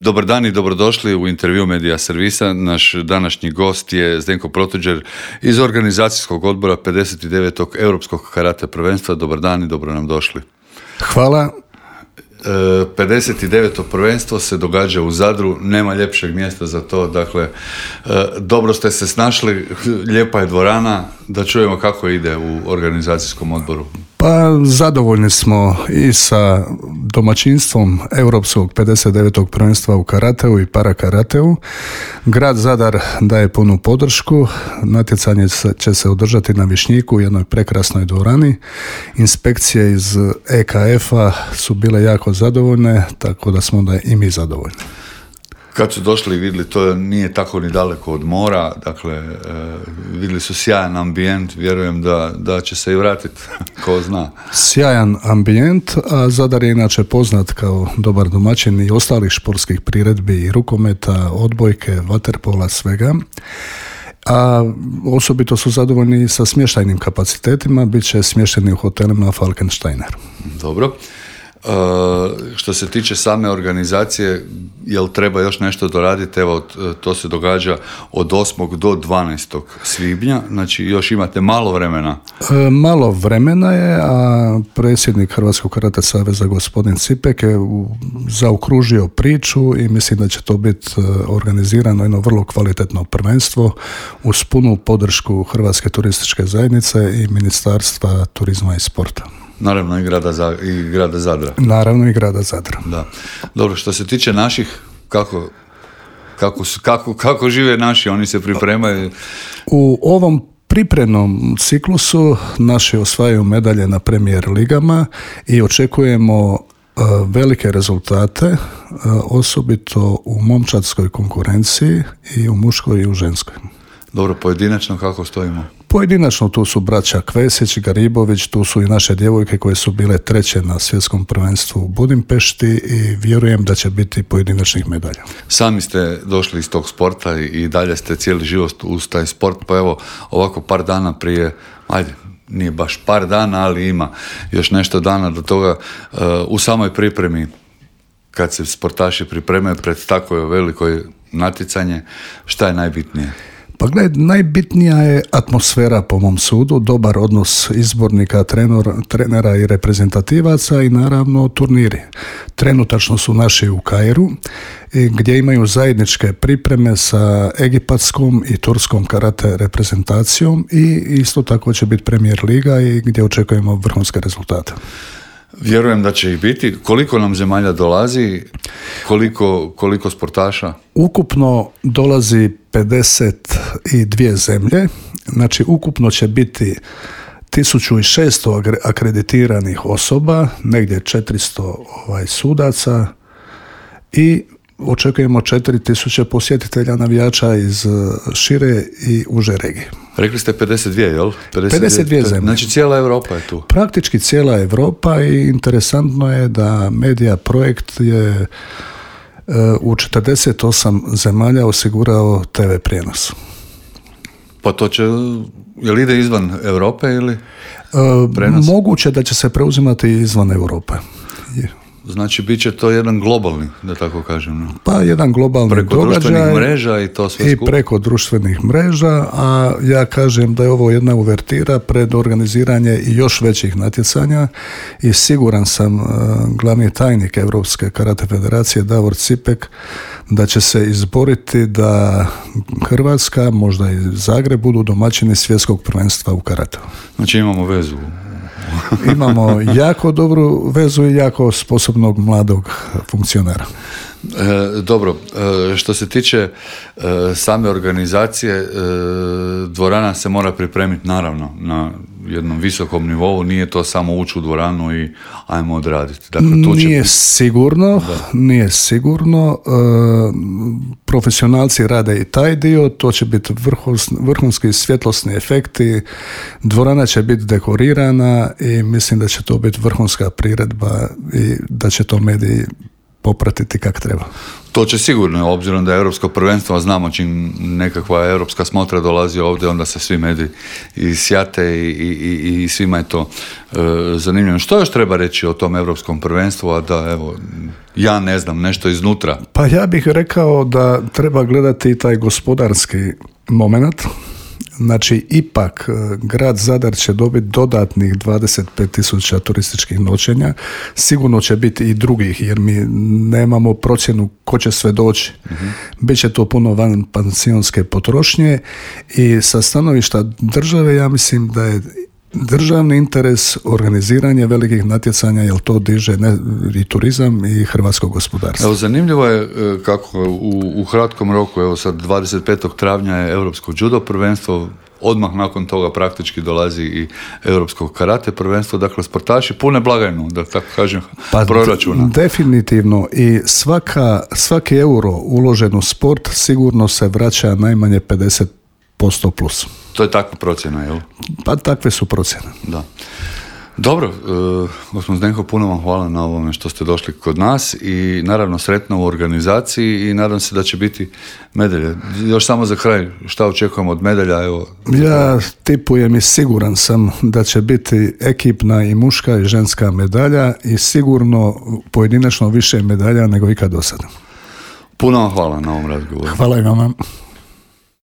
Dobar dan i dobrodošli u intervju Medija Servisa. Naš današnji gost je Zdenko Protuđer iz organizacijskog odbora 59. Europskog karate prvenstva. Dobar dan i dobro nam došli. Hvala. 59. prvenstvo se događa u Zadru, nema ljepšeg mjesta za to, dakle, dobro ste se snašli, lijepa je dvorana, da čujemo kako ide u organizacijskom odboru. Pa zadovoljni smo i sa domaćinstvom Europskog 59. prvenstva u karateu i parakarateu. Grad Zadar daje punu podršku, natjecanje će se održati na Višnjiku u jednoj prekrasnoj dvorani. Inspekcije iz EKF-a su bile jako zadovoljne, tako da smo da i mi zadovoljni. Kad su došli i vidjeli, to nije tako ni daleko od mora, dakle, vidjeli su sjajan ambijent, vjerujem da će se i vratiti, ko zna. Sjajan ambijent, a Zadar je inače poznat kao dobar domaćin i ostalih športskih priredbi i rukometa, odbojke, vaterpola, svega. A osobito su zadovoljni sa smještajnim kapacitetima, bit će smješteni u hotelima Falkensteiner. Dobro. Što se tiče same organizacije, jel treba još nešto doraditi? Evo, to se događa od 8. do 12. svibnja, znači još imate malo vremena. Malo vremena je, a predsjednik Hrvatskog karate saveza gospodin Cipek je zaokružio priču i mislim da će to biti organizirano jedno vrlo kvalitetno prvenstvo uz punu podršku Hrvatske turističke zajednice i Ministarstva turizma i sporta. Naravno i grada Zadra. Naravno i grada Zadra. Da. Dobro, što se tiče naših, kako žive naši, oni se pripremaju? U ovom pripremnom ciklusu naši osvajaju medalje na Premier ligama i očekujemo velike rezultate, osobito u momčadskoj konkurenciji i u muškoj i u ženskoj. Dobro, pojedinačno kako stojimo? Pojedinačno tu su braća Kvesić, Garibović, tu su i naše djevojke koje su bile treće na svjetskom prvenstvu u Budimpešti i vjerujem da će biti pojedinačnih medalja. Sami ste došli iz tog sporta i dalje ste cijeli život uz taj sport, pa evo ovako par dana prije, nije baš par dana, ali ima još nešto dana do toga, u samoj pripremi, kad se sportaši pripremaju pred tako veliko natjecanje, šta je najbitnije? Pa gledaj, najbitnija je atmosfera po mom sudu, dobar odnos izbornika, trenera i reprezentativaca i naravno turniri. Trenutačno su naši u Kairu gdje imaju zajedničke pripreme sa egipatskom i turskom karate reprezentacijom i isto tako će biti Premier liga i gdje očekujemo vrhunske rezultate. Vjerujem da će ih biti. Koliko nam zemalja dolazi? Koliko sportaša? Ukupno dolazi 52 zemlje. Znači ukupno će biti 1600 akreditiranih osoba, negdje 400 sudaca i očekujemo 4000 posjetitelja navijača iz šire i uže regije. Rekli ste 52, jel? 52 zemlje. Znači cijela Europa je tu. Praktički cijela Europa i interesantno je da Media Projekt je u 48 zemalja osigurao TV prijenos. Pa to će, jel ide izvan Europe ili prenos? Moguće da će se preuzimati izvan Europe. Znači, bit će to jedan globalni, da tako kažem. No? Pa jedan globalni preko događaj. Preko društvenih mreža i to sve skup. I preko društvenih mreža, a ja kažem da je ovo jedna uvertira pred organiziranje i još većih natjecanja i siguran sam glavni tajnik Europske karate federacije Davor Cipek da će se izboriti da Hrvatska, možda i Zagreb budu domaćini svjetskog prvenstva u karateu. Znači imamo vezu. Imamo jako dobru vezu i jako sposobnog mladog funkcionera. Dobro, što se tiče same organizacije, dvorana se mora pripremiti naravno na jednom visokom nivou, nije to samo ući u dvoranu i ajmo odraditi. Dakle, Nije sigurno. Profesionalci rade i taj dio, to će biti vrhunski svjetlosni efekti, dvorana će biti dekorirana i mislim da će to biti vrhunska priredba i da će to mediji popratiti kako treba. To će sigurno, obzirom da je europsko prvenstvo, a znamo čim nekakva europska smotra dolazi ovdje, onda se svi mediji i sjate i svima je to zanimljivo. Što još treba reći o tom europskom prvenstvu, a da, evo, ja ne znam, nešto iznutra? Pa ja bih rekao da treba gledati taj gospodarski moment. Znači, ipak grad Zadar će dobiti dodatnih 25.000 turističkih noćenja. Sigurno će biti i drugih, jer mi nemamo procjenu ko će sve doći. Biće to puno van pansionske potrošnje i sa stanovišta države ja mislim da je državni interes organiziranje velikih natjecanja, jer to diže i turizam i hrvatsko gospodarstvo. Evo, zanimljivo je kako u kratkom roku, evo sad 25. travnja je Europsko judo prvenstvo, odmah nakon toga praktički dolazi i Europsko karate prvenstvo, dakle sportaši pune blagajnu, da tako kažem, proračuna. Definitivno, i svaki euro uložen u sport sigurno se vraća najmanje 50% plus. To je takva procjena, jel? Pa takve su procjene. Da. Dobro, gospodin Zdenko, puno vam hvala na ovome što ste došli kod nas i naravno sretno u organizaciji i nadam se da će biti medalje. Još samo za kraj, šta očekujemo od medalja? Evo. Ja tipujem i siguran sam da će biti ekipna i muška i ženska medalja i sigurno pojedinačno više medalja nego ikad do sada. Puno vam hvala na ovom razgovoru. Hvala i vama.